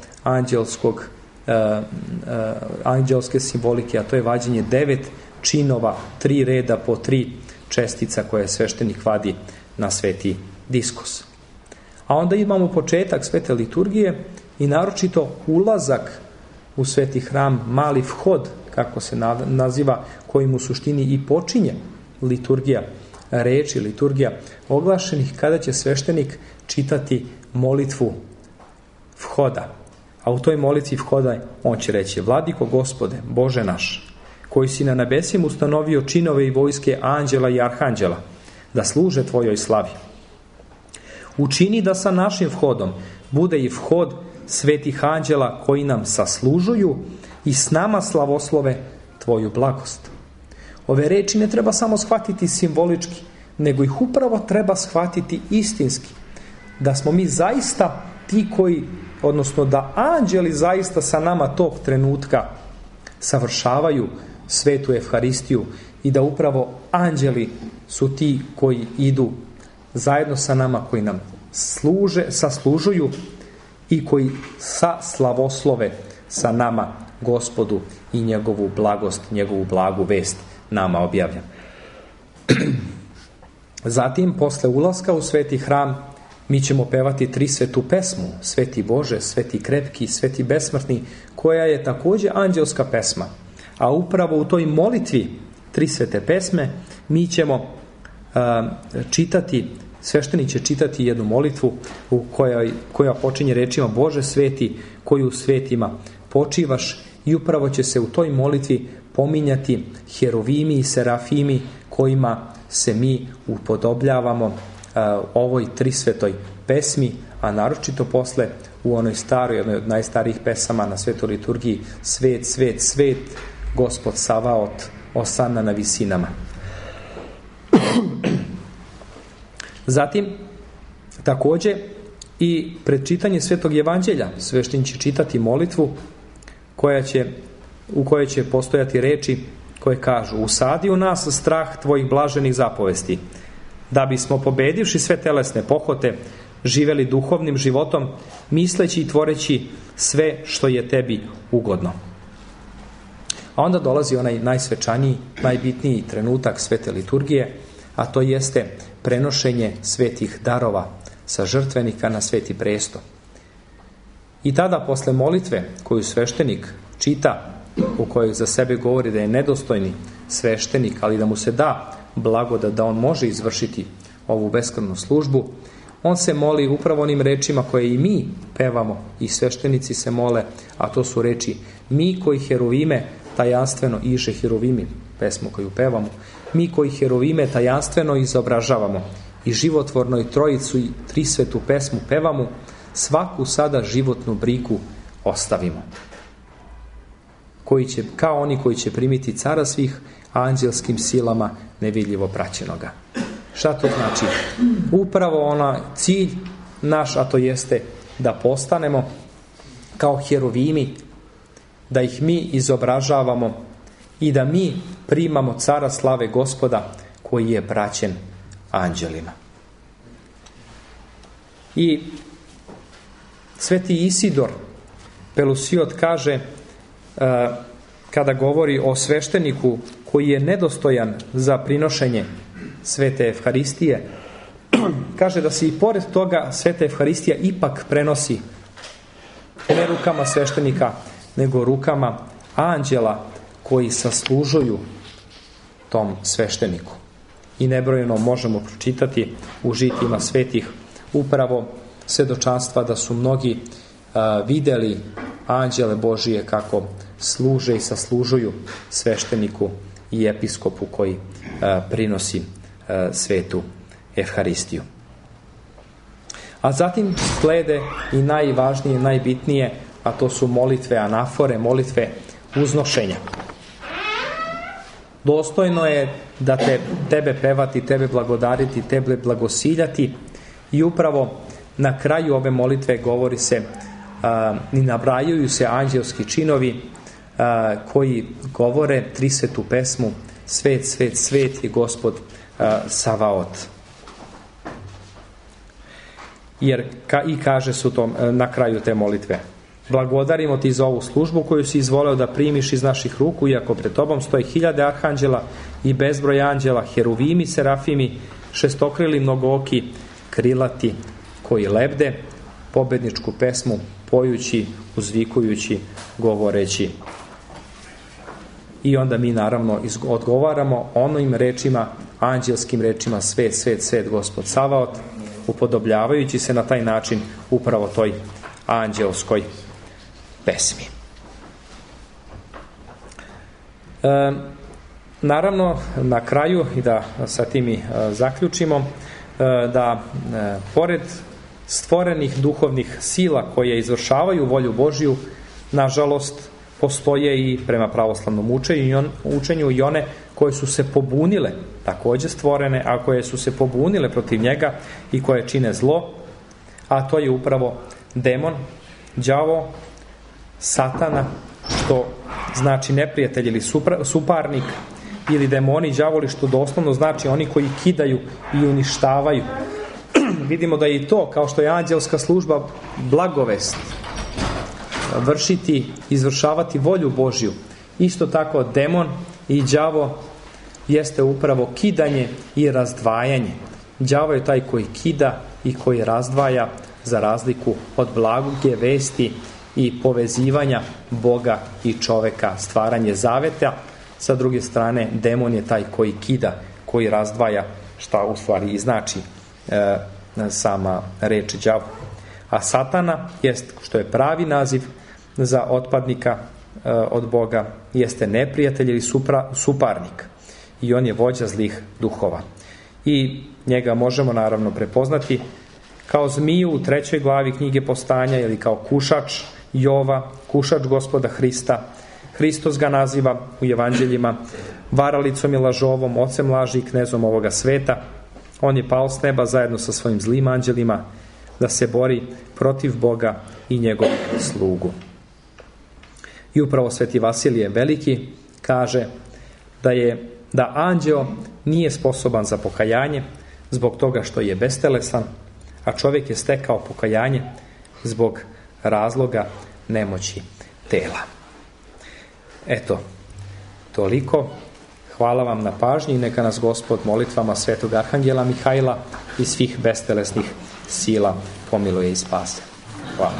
anđelske simbolike, a to je vađenje 9 činova, 3 reda po 3 čestica koje sveštenik vadi na sveti diskus. A onda imamo početak svete liturgije i naročito ulazak u sveti hram, mali vhod, kako se naziva, kojim u suštini i počinje liturgija reči, liturgija oglašenih, kada će sveštenik čitati molitvu vhoda. A u toj molitvi vhoda on će reći: Vladiko Gospode, Bože naš, koji si na nebesima ustanovio činove i vojske anđela i arhanđela, da služe tvojoj slavi. Učini da sa našim vhodom bude i vhod svetih anđela koji nam saslužuju i s nama slavoslove tvoju blagost. Ove reči ne treba samo shvatiti simbolički, nego ih upravo treba shvatiti istinski. Da smo mi zaista ti koji, odnosno da anđeli zaista sa nama tog trenutka savršavaju svetu Evharistiju i da upravo anđeli su ti koji idu zajedno sa nama, koji nam saslužuju i koji slavoslove sa nama Gospodu i njegovu blagost, njegovu blagu vest nama objavlja. Zatim, posle ulaska u sveti hram, mi ćemo pevati trisvetu pesmu, Sveti Bože, Sveti Krepki, Sveti Besmrtni, koja je također anđelska pesma. A upravo u toj molitvi trisvete pesme mi ćemo čitati, sveštenik će čitati jednu molitvu koja počinje rečima: Bože sveti, koji u svetima počivaš, i upravo će se u toj molitvi pominjati herovimi i serafimi kojima se mi upodobljavamo ovoj trisvetoj pesmi, a naročito posle u onoj staroj, jednoj od najstarijih pesama na svetoj liturgiji: Svet, svet, svet, Gospod Savaot, osanna na visinama. Zatim, također i pred čitanje Svetog Evanđelja sveštenik će čitati molitvu u kojoj će postojati reči koje kažu: Usadi u nas strah tvojih blaženih zapovesti, da bismo pobedivši sve telesne pohote živeli duhovnim životom, misleći i tvoreći sve što je tebi ugodno. A onda dolazi onaj najsvečaniji, najbitniji trenutak svete liturgije, a to jeste prenošenje svetih darova sa žrtvenika na sveti presto. I tada posle molitve koju sveštenik čita, u kojoj za sebe govori da je nedostojni sveštenik, ali da mu se da blagodat da on može izvršiti ovu beskrvnu službu, on se moli upravo onim rečima koje i mi pevamo i sveštenici se mole, a to su reči: mi koji herovime tajanstveno iže herovimi, pesmu koju pevamo, mi koji herovime tajanstveno izobražavamo i životvornoj trojicu i trisvetu pesmu pevamo, svaku sada životnu brigu ostavimo. Koji će, kao oni koji će primiti cara svih anđelskim silama nevidljivo praćenoga. Šta to znači? Upravo onaj cilj naš, a to jeste da postanemo kao herovimi, da ih mi izobražavamo i da mi primamo cara slave Gospoda koji je praćen anđelima. I sveti Isidor Pelusiot kaže, kada govori o svešteniku koji je nedostojan za prinošenje svete Evharistije, kaže da se i pored toga sveta Evharistija ipak prenosi ne rukama sveštenika, nego rukama anđela koji saslužuju tom svešteniku. I nebrojeno možemo pročitati u žitima svetih upravo svedočanstva da su mnogi vidjeli anđele Božije kako služe i saslužuju svešteniku i episkopu koji prinosi svetu Evharistiju. A zatim slede i najvažnije, najbitnije, a to su molitve anafore, molitve uznošenja. Dostojno je da tebe pevati, tebe blagodariti, tebe blagosiljati, i upravo na kraju ove molitve govori se i nabrajaju se anđelski činovi koji govore trisvetu pesmu: Svet, svet, svet je Gospod Savaot. Jer i kaže su to na kraju te molitve: blagodarimo ti za ovu službu koju si izvoleo da primiš iz naših ruku, iako pred tobom stoji 1000 arhanđela i bezbroj anđela, heruvimi, serafimi, šestokrili, mnogooki, krilati, koji lebde pobedničku pesmu, pojući, uzvikujući, govoreći. I onda mi naravno odgovaramo onim rečima, anđelskim rečima: svet, svet, svet, Gospod Savaot, upodobljavajući se na taj način upravo toj anđelskoj pesmi. Naravno, na kraju, i da sa tim i zaključimo, da pored stvorenih duhovnih sila koje izvršavaju volju Božju, nažalost, postoje i prema pravoslavnom učenju i one koje su se pobunile, također stvorene, a koje su se pobunile protiv njega i koje čine zlo, a to je upravo demon, đavo, satana, što znači neprijatelj ili suparnik, ili demoni, đavoli, što doslovno znači oni koji kidaju i uništavaju. Vidimo da je i to, kao što je anđelska služba blagovest, vršiti, izvršavati volju Božju, isto tako demon i đavo jeste upravo kidanje i razdvajanje. Đavo je taj koji kida i koji razdvaja, za razliku od blage vesti i povezivanja Boga i čoveka, stvaranje zaveta. Sa druge strane, demon je taj koji kida, koji razdvaja, šta u stvari i znači sama reč đavo. A satana jest, što je pravi naziv za otpadnika od Boga, jeste neprijatelj ili suparnik, i on je vođa zlih duhova. I njega možemo naravno prepoznati kao zmiju u 3. glavi knjige Postanja, ili kao kušač Jova, kušač Gospoda Hrista. Hristos ga naziva u evanđeljima varalicom i lažovom, ocem laži i knezom ovoga sveta. On je pao s neba zajedno sa svojim zlim anđelima da se bori protiv Boga i njegovog slugu. I upravo Sveti Vasilije Veliki kaže da anđeo nije sposoban za pokajanje zbog toga što je bestelesan, a čovjek je stekao pokajanje zbog razloga nemoći tela. Eto, toliko. Hvala vam na pažnji i neka nas Gospod molitvama Svetog Arhangela Mihajla i svih bestelesnih sila pomiluje i spase. Hvala.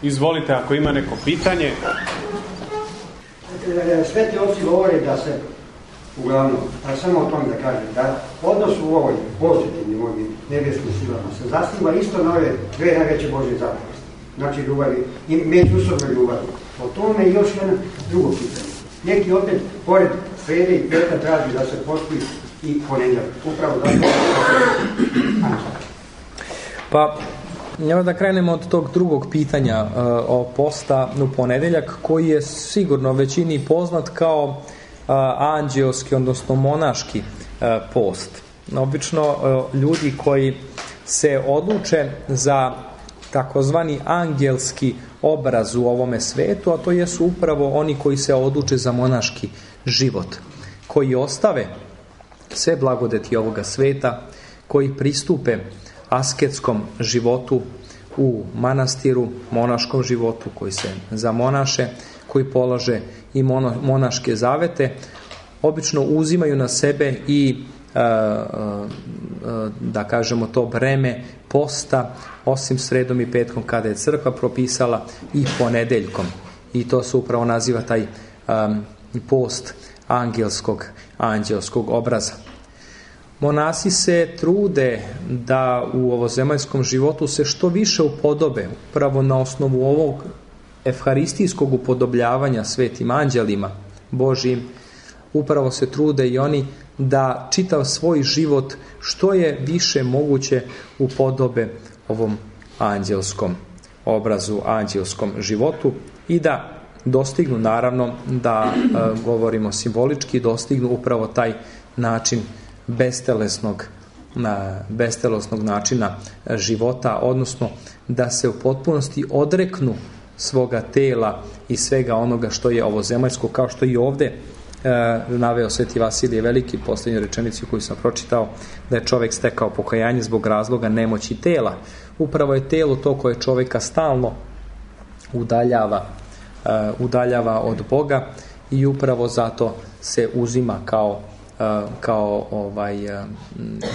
Izvolite, ako ima neko pitanje. Sveti oci govore da se, uglavnom, a samo o tom da kažem, da odnos u ovoj pozitivnim ovim nebeskim silama se zasniva isto na ove dve najveće Božje zapovesti. Znači ljubavi i međusobne ljubavi. O tome je još jedno drugo pitanje. Neki opet, pored srede i petka, traži da se posti i ponedjeljak. Upravo zato. Pa, evo da krenemo od tog drugog pitanja o posta u ponedjeljak, koji je sigurno većini poznat kao anđeoski, odnosno monaški post. Obično ljudi koji se odluče za takozvani angelski obraz u ovome svetu, a to jesu upravo oni koji se odluče za monaški život, koji ostave sve blagodeti ovoga sveta, koji pristupe asketskom životu u manastiru, monaškom životu, koji se zamonaše, koji polože i monaške zavete, obično uzimaju na sebe i da kažemo to breme posta, osim sredom i petkom kada je crkva propisala, i ponedeljkom. I to se upravo naziva taj post anđelskog obraza. Monasi se trude da u ovozemaljskom životu se što više upodobe, upravo na osnovu ovog evharistijskog upodobljavanja svetim anđelima Božijim. Upravo se trude i oni da čitav svoj život što je više moguće upodobe ovom anđelskom obrazu, anđelskom životu, i da dostignu, naravno, da govorimo simbolički, dostignu upravo taj način bestelesnog načina života, odnosno da se u potpunosti odreknu svoga tela i svega onoga što je ovozemaljsko, kao što i ovdje naveo Sveti Vasilije Veliki, posljednju rečenicu koju sam pročitao, da je čovjek stekao pokajanje zbog razloga nemoći tela. Upravo je telo to koje čovjeka stalno udaljava od Boga, i upravo zato se uzima kao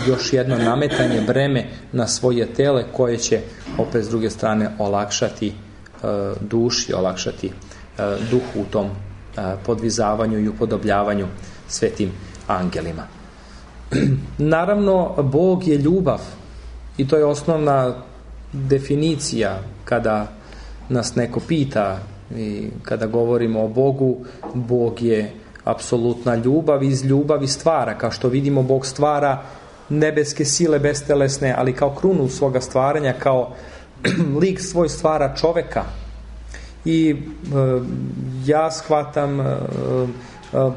još jedno nametanje breme na svoje tele, koje će opet s druge strane olakšati duši, olakšati duhu u tom podvizavanju i upodobljavanju svetim angelima. Naravno, Bog je ljubav i to je osnovna definicija kada nas neko pita i kada govorimo o Bogu. Bog je apsolutna ljubav, iz ljubavi stvara. Kao što vidimo, Bog stvara nebeske sile bestelesne, ali kao krunu svoga stvaranja, kao lik svoj stvara čoveka. I ja shvatam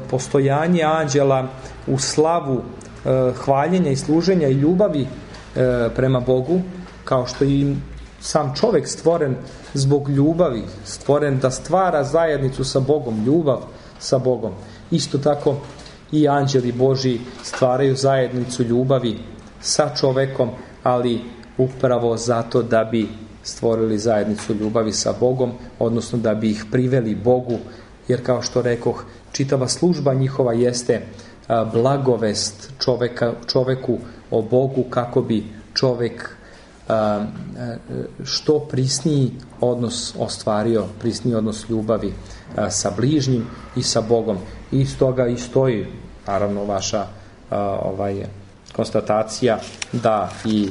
postojanje anđela u slavu hvaljenja i služenja i ljubavi prema Bogu, kao što i sam čovek stvoren zbog ljubavi, stvoren da stvara zajednicu sa Bogom, ljubav sa Bogom. Isto tako i anđeli Božji stvaraju zajednicu ljubavi sa čovekom, ali upravo zato da bi stvorili zajednicu ljubavi sa Bogom, odnosno da bi ih priveli Bogu, jer kao što rekoh, čitava služba njihova jeste blagovest čoveku o Bogu, kako bi čovek što prisniji odnos ostvario, prisniji odnos ljubavi sa bližnjim i sa Bogom. I stoga i stoji naravno vaša konstatacija da i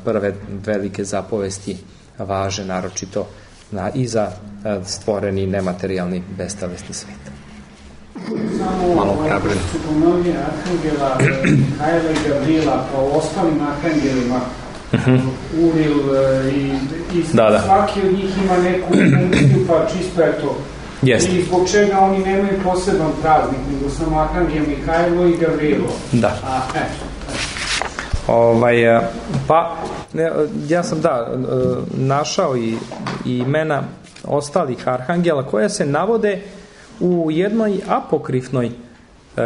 prve velike zapovesti važe naročito i za stvoreni nematerijalni bestelesni svet. Malo hrabren. Ponovljenje arhangela Mihajla i Gavrila po ostalim arhangelima, Uril i svaki od njih ima neku funkciju, pa čisto je to. Jeste. I zbog čega oni nemaju poseban praznik, nego samo arhangel Mihajlo i Gavrilo. Da. Ja sam našao i imena ostalih arhangela koja se navode u jednoj apokrifnoj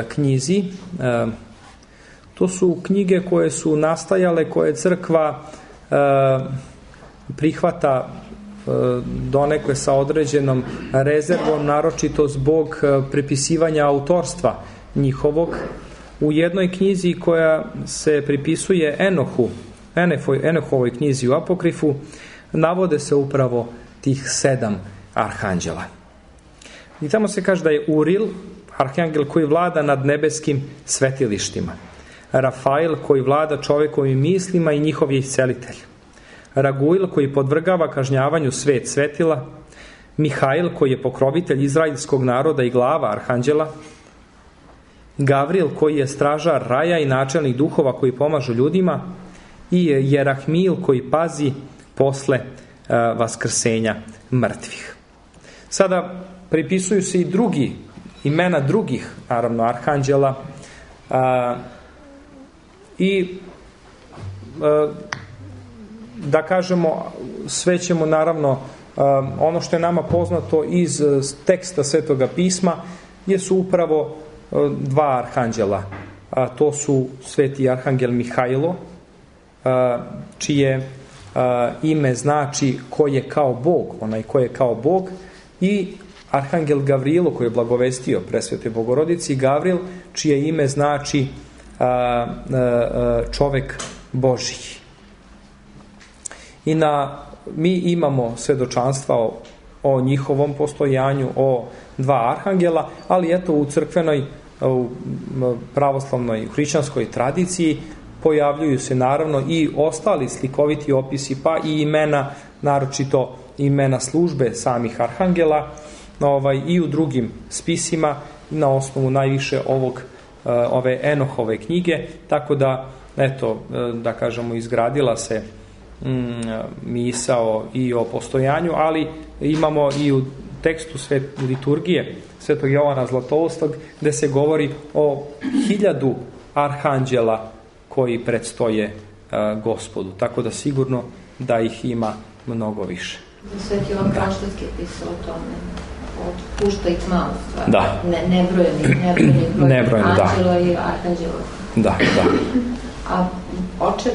knjizi. To su knjige koje su nastajale, koje crkva prihvata donekle sa određenom rezervom, naročito zbog prepisivanja autorstva njihovog. U jednoj knjizi koja se pripisuje Enohovoj knjizi u apokrifu navode se upravo tih 7 arhanđela. I tamo se kaže da je Uril, arhangel koji vlada nad nebeskim svetilištima, Rafael koji vlada čovekovim mislima i njihov je iscelitelj, Raguil koji podvrgava kažnjavanju svet svetila, Mihajl koji je pokrovitelj izraelskog naroda i glava arhanđela, Gavril koji je stražar raja i načelnik duhova koji pomažu ljudima, i Jerahmil koji pazi posle vaskrsenja mrtvih. Sada pripisuju se i imena drugih, naravno, arhanđela, i da kažemo, sve ćemo naravno, ono što je nama poznato iz teksta Svetoga pisma jesu upravo 2 arhanđela. To su sveti arhangel Mihajlo, čije ime znači ko je kao Bog, onaj ko je kao Bog, i arhangel Gavrilo koji je blagovestio presvetoj Bogorodici, Gavril, čije ime znači čovek Božji. I mi imamo svedočanstva o njihovom postojanju, o 2 arhangela, ali eto u crkvenoj, u pravoslavnoj, hrišćanskoj tradiciji pojavljuju se naravno i ostali slikoviti opisi, pa i imena, naročito imena službe samih arhangela, i u drugim spisima na osnovu najviše ove Enohove knjige, tako da, eto, da kažemo, izgradila se misao i o postojanju, ali imamo i u tekstu liturgije Svetog Jovana Zlatoustog gde se govori o 1000 arhanđela koji predstoje Gospodu, tako da sigurno da ih ima mnogo više. Sveti Jovan Krštanski je pisao o tome, od pušta i tma, u stvari. Da. Nebrojeni anđela i arhanđela. Da. A oče,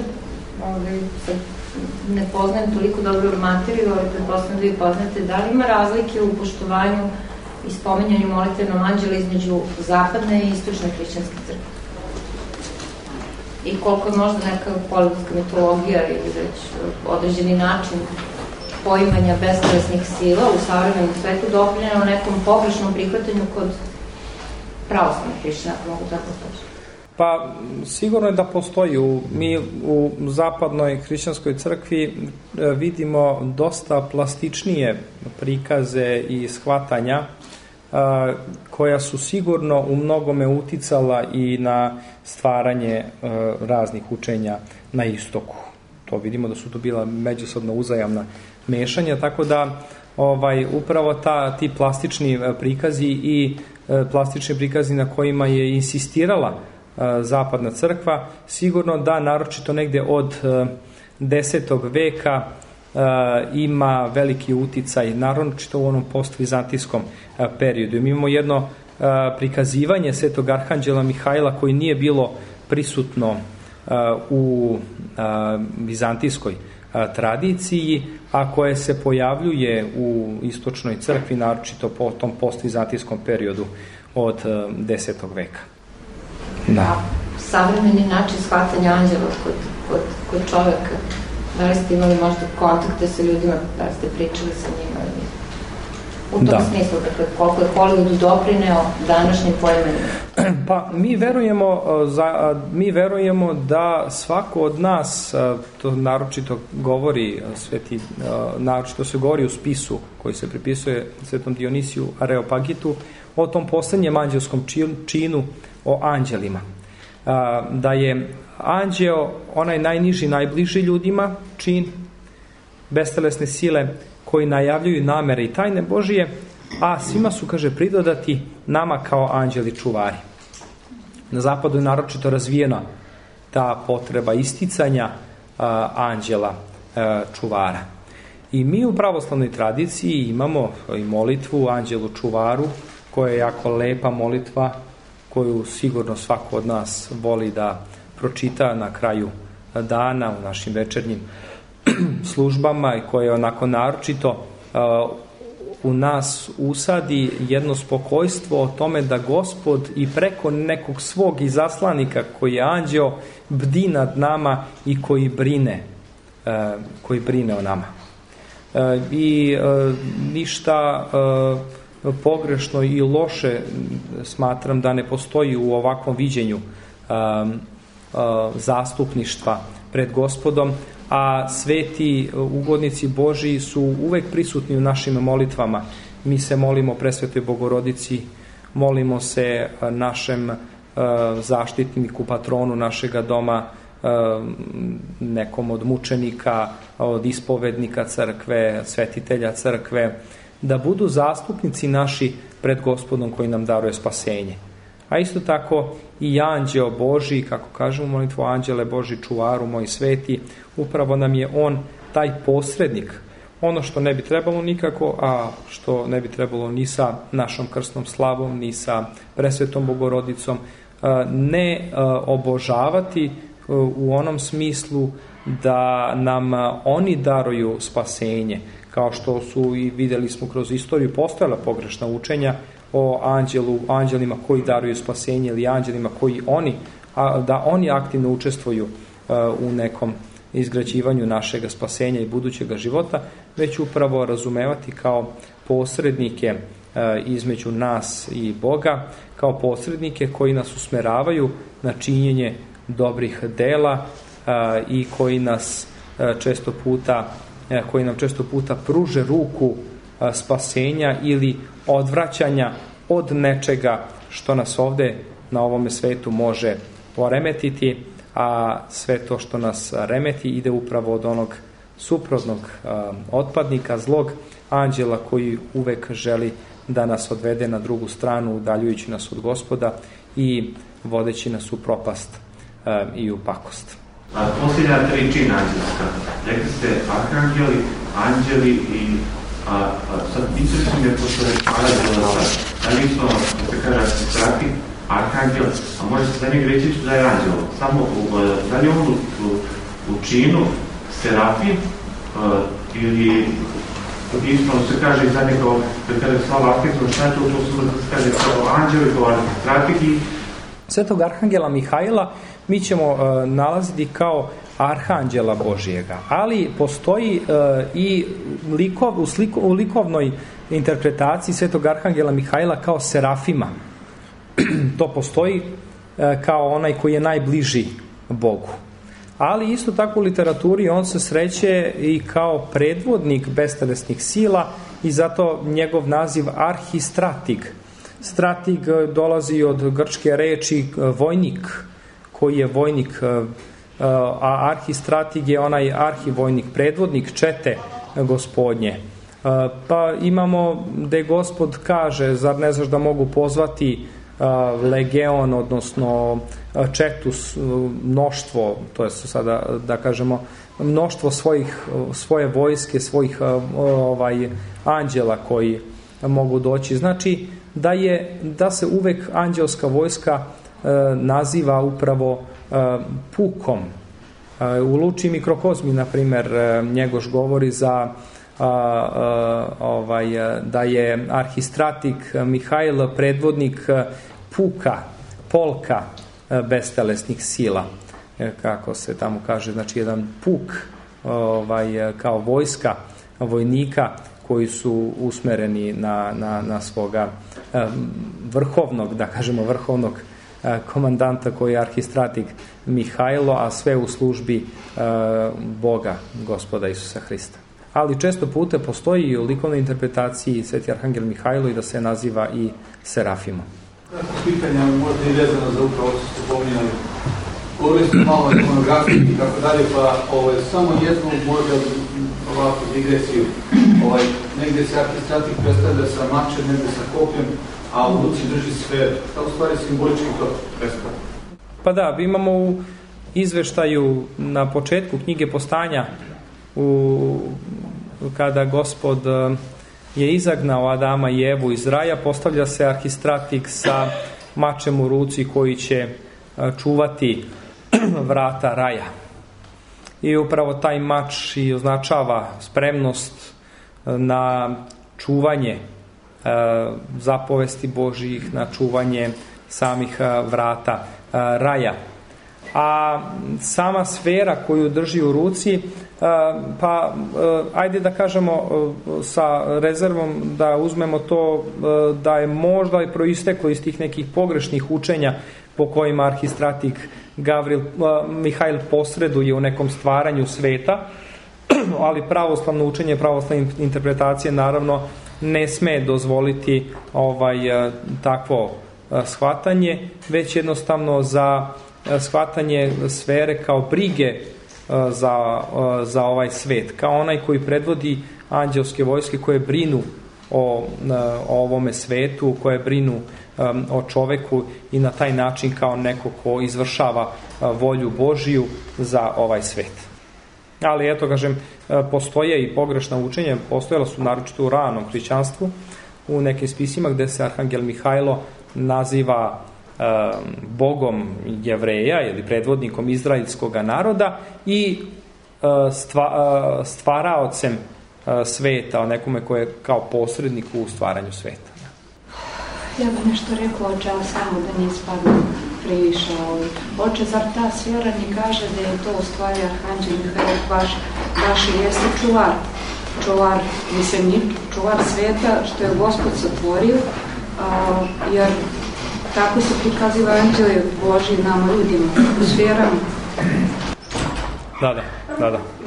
ne poznajem toliko dobro materiju, ali pretpostavljam da vi poznate, da li ima razlike u poštovanju i spominjanju molitvenom anđela između zapadne i istočne hrišćanske crkve? I koliko je možda neka politika mitologija ili već određeni način poimanja bestelesnih sila u savremenom svetu doprinjeno nekom pogrešnom prihvatanju kod pravoslavnih hrišćana, ako mogu tako poći? Pa sigurno je da postoji. Mi u zapadnoj hrišćanskoj crkvi vidimo dosta plastičnije prikaze i shvatanja koja su sigurno u mnogome uticala i na stvaranje raznih učenja na istoku. To vidimo da su to bila međusobno uzajamna mešanja, tako da upravo ti plastični prikazi i plastični prikazi na kojima je insistirala zapadna crkva, sigurno da naročito negde od 10. veka ima veliki uticaj, naročito u onom postvizantijskom periodu. Mi imamo jedno prikazivanje Svetog Arhanđela Mihajla koji nije bilo prisutno u vizantijskoj tradiciji, a koje se pojavljuje u istočnoj crkvi, naročito po tom postvizantijskom periodu od 10. veka. Da. Savremeni način shvatanja anđela kod čoveka, da li ste imali možda kontakte sa ljudima, da li ste pričali sa njima u tom smislu, dakle, koliko je Hollywood doprineo današnjim pojmenima? Pa mi verujemo da svako od nas, to naročito govori naročito se govori u spisu koji se pripisuje Svetom Dionisiju Areopagitu o tom poslednjem anđelskom činu o anđelima. Da je anđeo onaj najniži, najbliži ljudima čin bestelesne sile koji najavljuju namere i tajne Božije, a svima su, kaže, pridodati nama kao anđeli čuvari. Na zapadu je naročito razvijena ta potreba isticanja anđela čuvara. I mi u pravoslavnoj tradiciji imamo i molitvu anđelu čuvaru, koja je jako lepa molitva, koju sigurno svako od nas voli da pročita na kraju dana u našim večernjim službama i koja je onako naročito u nas usadi jedno spokojstvo o tome da Gospod i preko nekog svog izaslanika koji je anđeo bdi nad nama i koji brine o nama. I ništa pogrešno i loše smatram da ne postoji u ovakvom viđenju zastupništva pred Gospodom, a sveti ugodnici Božiji su uvek prisutni u našim molitvama. Mi se molimo Presvetoj Bogorodici, molimo se našem zaštitniku, patronu našega doma, nekom od mučenika, od ispovednika crkve, svetitelja crkve, da budu zastupnici naši pred Gospodom koji nam daruje spasenje. A isto tako i anđeo Božji, kako kažemo u molitvu, anđele Božji čuvaru moj sveti, upravo nam je on taj posrednik. Ono što ne bi trebalo nikako, a što ne bi trebalo ni sa našom krsnom slavom, ni sa Presvetom Bogorodicom, ne obožavati u onom smislu da nam oni daruju spasenje, kao što su i videli smo kroz istoriju postojala pogrešna učenja o anđelima koji daruju spasenje ili anđelima koji da oni aktivno učestvuju u nekom izgrađivanju našega spasenja i budućega života, već upravo razumevati kao posrednike između nas i Boga, kao posrednike koji nas usmeravaju na činjenje dobrih dela i koji nam često puta pruže ruku spasenja ili odvraćanja od nečega što nas ovde na ovome svetu može poremetiti, a sve to što nas remeti ide upravo od onog suprotnog otpadnika, zlog anđela koji uvek želi da nas odvede na drugu stranu, udaljujući nas od Gospoda i vodeći nas u propast i u pakost. Posljednja 3 čina anđelska. Rekli ste arhangeli, anđeli i sad interesuje me pošto je anđela, da li isto, da se kaže, strati, arhangel, a može se za njeg reći da je anđel. Samo, da li on u činu serafim ili ispravno se kaže za njega, da kaže slava arhangela, šta je to se kaže kao anđel i kao arhangel. Svetog Arhangela Mihajla mi ćemo nalaziti kao arhanđela Božijega, ali postoji i u likovnoj interpretaciji Svetog Arhangela Mihajla kao serafima. to postoji kao onaj koji je najbliži Bogu. Ali isto tako u literaturi on se sreće i kao predvodnik bestelesnih sila i zato njegov naziv arhistratig. Stratig dolazi od grčke reči vojnik, koji je vojnik, a arhistratig je onaj arhivojnik, predvodnik čete gospodnje. Pa imamo gde Gospod kaže, zar ne znaš da mogu pozvati legion, odnosno četu, mnoštvo, to je sada da kažemo mnoštvo svoje vojske, svojih anđela koji mogu doći. Znači da se uvek anđelska vojska naziva upravo pukom. U Luči mikrokozmi, na primjer, Njegoš govori za da je arhistratik Mihajl predvodnik puka, polka bestelesnih sila, kako se tamo kaže, znači jedan puk kao vojska vojnika koji su usmereni na svoga vrhovnog, da kažemo vrhovnog komandanta koji je arhistratik Mihajlo, a sve u službi Boga, Gospoda Isusa Hrista. Ali često puta postoji i u likovnoj interpretaciji Sveti Arhangel Mihajlo i da se naziva i Serafimom. Pitanja možda i vezano za upravo što ste pominjali. Govorili ste malo o ikonografiji i tako dalje, pa samo jednu možda ovakvu digresiju. Negdje se arhistratik predstavlja sa mačem, negdje sa kopljem, a u ruci drži sferu. Šta u stvari simbolički to predstavlja? Pa da, imamo u izveštaju na početku knjige Postanja, kada Gospod je izagnao Adama i Evu iz raja, postavlja se arhistratik sa mačem u ruci koji će čuvati vrata raja. I upravo taj mač i označava spremnost na čuvanje zapovesti Božjih, na čuvanje samih vrata raja. A sama sfera koju drži u ruci, ajde da kažemo sa rezervom da uzmemo to da je možda i proisteklo iz tih nekih pogrešnih učenja po kojima arhistratik Mihajl posreduje u nekom stvaranju sveta, ali pravoslavno učenje, pravoslavne interpretacije naravno ne sme dozvoliti takvo shvatanje, već jednostavno za shvatanje sfere kao brige za ovaj svet, kao onaj koji predvodi anđelske vojske koje brinu o ovome svetu, koje brinu o čoveku i na taj način kao neko ko izvršava volju Božiju za ovaj svet. Ali eto, kažem, postoje i pogrešna učenja, postojala su naročito u ranom hrišćanstvu, u nekim spisima gde se Arhangel Mihajlo naziva Bogom Jevreja ili predvodnikom izraelskog naroda i stvaraocem sveta, o nekome koje je kao posrednik u stvaranju sveta. Ja bih nešto rekla, oče, ali samo da ne ispadne previše. Oče, zar ta sfera mi kaže da je to u stvari Arhanđel Mihajlo baš i jeste čuvar, mislim, čuvar sveta što je Gospod satvorio, jer tako se prikaziva anđeli Božji nama ljudima u sferama. Da.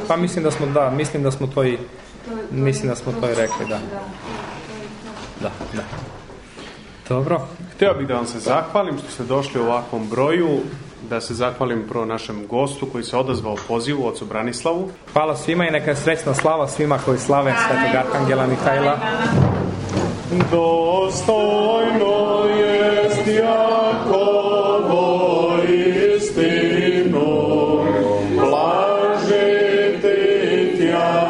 Pa mislim da smo to i rekli, da. Da. Dobro. Htio bih da vam se zahvalim što ste došli u ovakvom broju, da se zahvalim prvo našem gostu koji se odazvao pozivu, ocu Branislavu. Hvala svima i neka je srećna slava svima koji slave Svetog Arhangela Mihajla. Dostojno jest Jakovo istinu, blažiti tja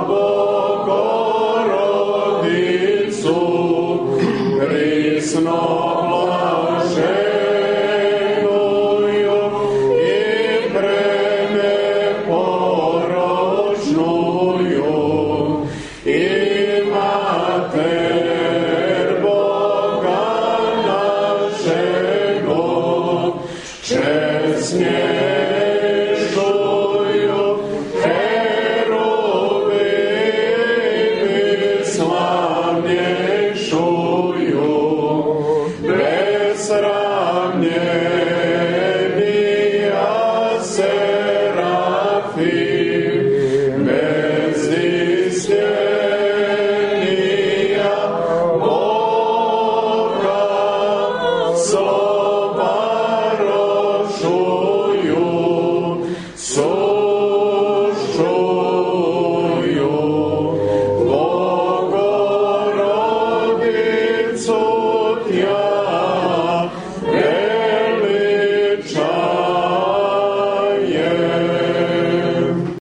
Bogorodicu, prisno blaženuju i preneporočnuju i Mater Boga našego, česnje